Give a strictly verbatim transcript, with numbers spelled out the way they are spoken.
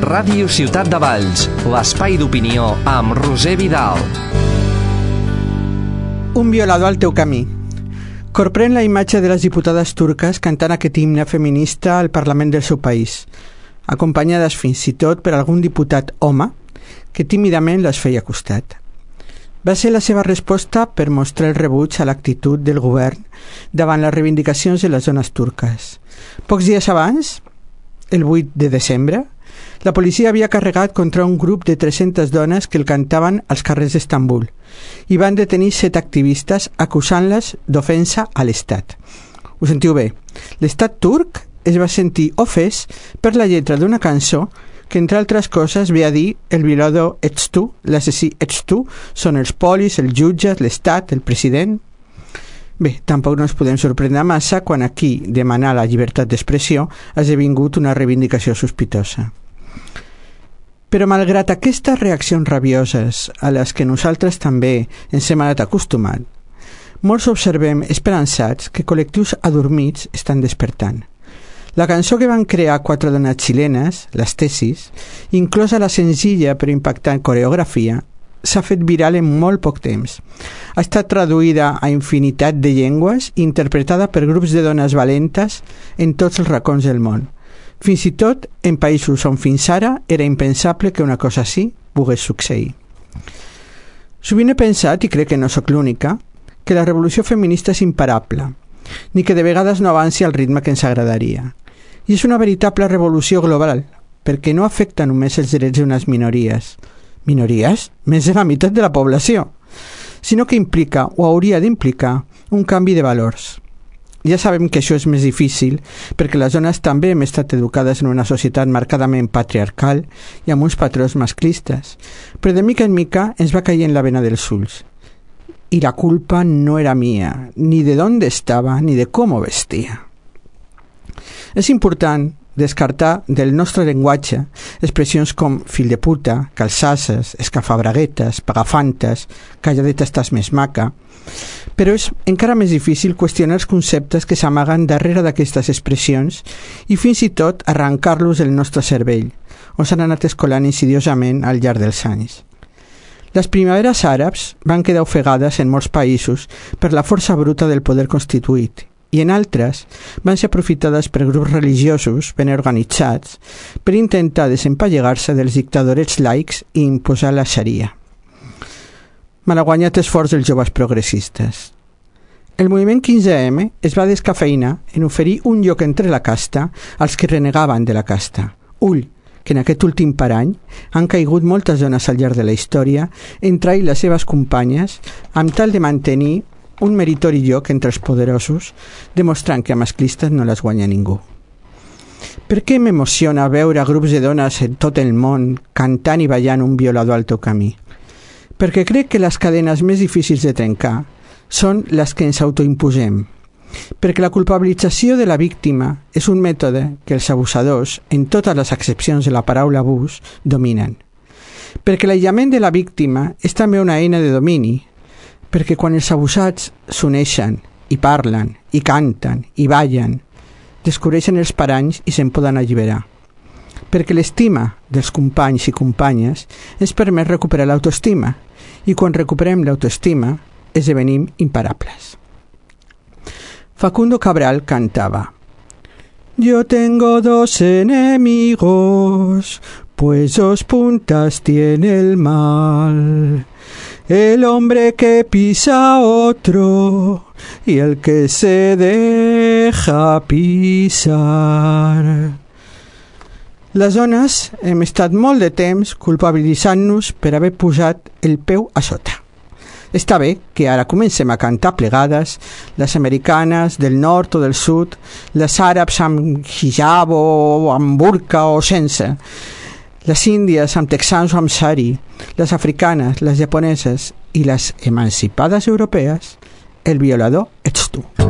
Ràdio Ciutat de Valls, l'espai d'opinió amb Roser Vidal. Un violador al teu camí. Corprèn la imatge de les diputades turques cantant aquest himne feminista al Parlament del seu país, acompanyades fins i tot per algun diputat home que tímidament les feia costat. Va ser la seva resposta per mostrar el rebuig a l'actitud del govern davant les reivindicacions de les dones turques. Pocs dies abans, el vuit de desembre, la policia havia carregat contra un grup de tres-centes dones que el cantaven als carrers d'Estambul i van detenir set activistes acusant-les d'ofensa a l'Estat. Ho sentiu bé, l'Estat turc es va sentir ofès per la lletra d'una cançó que, entre altres coses, ve a dir el violador ets tu, l'assassí ets tu, són els polis, els jutges, l'Estat, el president. Bé, tampoc no ens podem sorprendre massa quan aquí demanar la llibertat d'expressió ha esdevingut una reivindicació sospitosa. Però malgrat aquestes reaccions rabioses a les que nosaltres també ens hem anat acostumat, molts observem esperançats que col·lectius adormits estan despertant. La cançó que van crear quatre dones xilenes, les Tesis, inclosa la senzilla però impactant coreografia, s'ha fet viral en molt poc temps. Ha estat traduïda a infinitat de llengües i interpretada per grups de dones valentes en tots els racons del món. Fins i tot en països on fins ara era impensable que una cosa així pogués succeir. Sovint he pensat, i crec que no sóc l'única, que la revolució feminista és imparable, ni que de vegades no avanci al ritme que ens agradaria. I és una veritable revolució global, perquè no afecta només els drets d'unes minories, minories, més de la meitat de la població, sinó que implica o hauria d'implicar un canvi de valors. Ja sabem que això és més difícil perquè les dones també hem estat educades en una societat marcadament patriarcal i amb uns patrons masclistes, però de mica en mica ens va caient la vena dels ulls. I la culpa no era mia, ni de d'on estava, ni de com vestia. És important descartar del nostre llenguatge expressions com fill de puta, calçasses, escafabraguetes, pagafantes, calladeta estàs més maca, però és encara més difícil qüestionar els conceptes que s'amaguen darrere d'aquestes expressions i fins i tot arrencar-los del nostre cervell, on s'han anat escolant insidiosament al llarg dels anys. Les primaveres àrabs van quedar ofegades en molts països per la força bruta del poder constituït i en altres van ser aprofitades per grups religiosos ben organitzats per intentar desempallegar-se dels dictadorets laics i imposar la xaria. Malaguanyat esforç dels joves progressistes. El moviment quinze eme es va descafeïnar en oferir un lloc entre la casta als que renegaven de la casta. Ull, que en aquest últim parany han caigut moltes dones al llarg de la història entre ell i les seves companyes amb tal de mantenir un meritori lloc entre els poderosos, demostrant que a masclistes no les guanya ningú. Per què m'emociona veure grups de dones en tot el món cantant i ballant un violador al teu camí? Perquè crec que les cadenes més difícils de trencar són les que ens autoimposem, perquè la culpabilització de la víctima és un mètode que els abusadors, en totes les accepcions de la paraula abús, dominen. Perquè l'aïllament de la víctima és també una eina de domini, perquè quan els abusats s'uneixen i parlen, i canten, i ballen, descobreixen els paranys i se'n poden alliberar. Perquè l'estima dels companys i companyes ens permet recuperar l'autoestima, i quan recuperem l'autoestima esdevenim imparables. Facundo Cabral cantava: Yo tengo dos enemigos, pues dos puntas tiene el mal. El hombre que pisa a otro y el que se deja pisar. Les dones hem estat molt de temps culpabilitzant-nos per haver posat el peu a sota. Està bé que ara comencem a cantar plegades, les americanes del nord o del sud, les àrabs amb hijab o amb burka o sense, les índies amb texans o amb sari, les africanes, les japoneses i les emancipades europees, el violador ets tu.